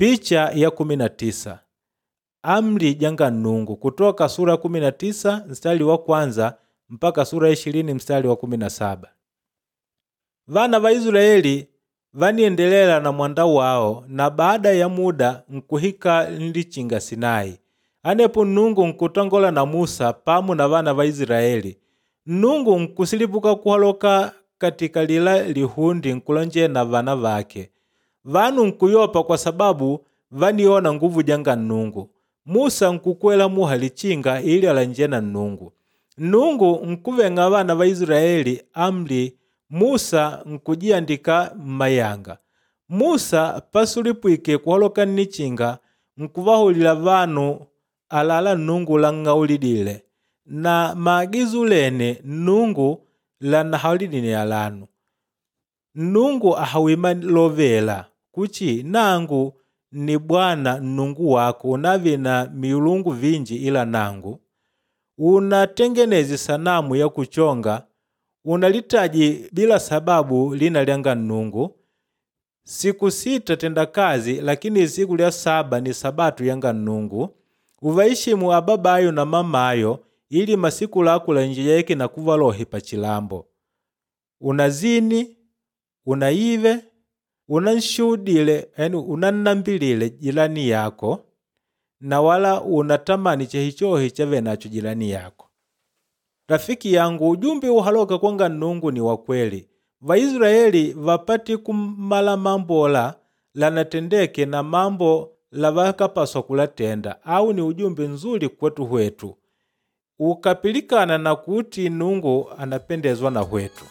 Picha ya 19. Amri janga Nnungu kutoka sura ya 19 mstari wa kwanza mpaka sura ya 20 mstari wa 17. Vana va Israeli vaniendelela na mwanda wao na baada ya muda nkuhika nlichinga Sinai. Anepo Nnungu nkutangola na Musa pamu na vana va Israeli. Nnungu nkusilipuka kuhaloka katika lila lihundi nkulonje na vana vake. Vanu nkuyopa kwa sababu vaniona nguvu janga Nnungu. Musa nkukwela muha lichinga ili alanje na Nnungu. Nnungu nkuveng'a vana va Israeli amri Musa nkujiandika mmayanga. Musa pasulipwike kuhaloka nnichinga nkuvahulila vanu alala Nnungu lang'aulidile na maagizo lene Nnungu lanahaulidile alanu. Nnungu ahawima lovela kuchi nangu ni Bwana Nnungu wako unavi na milungu vinji ila nangu. Unatengeneze sanamu ya kuchonga, unalitaji bila sababu lina lyanga Nnungu. Siku sita tenda kazi, lakini siku lya saba ni sabatu yanga Nnungu. Uvaishimu ababayo na mamayo ili masiku lako lanjeyeke na kuva lohi pachilambo. Unazini, unaive, unanshuhudile, yani unannambilile jirani yako na wala unatamani chehichohi chave nacho jirani yako. Rafiki yangu, ujumbe uhaloka kwanga Nnungu ni wa kweli. Vaisraeli vapati kumala mambo lanatendeke na mambo lavakapaswa kulatenda au ni ujumbe nzuri kwetu hwetu. Ukapilikana na kuti Nnungu anapendezwa na hwetu.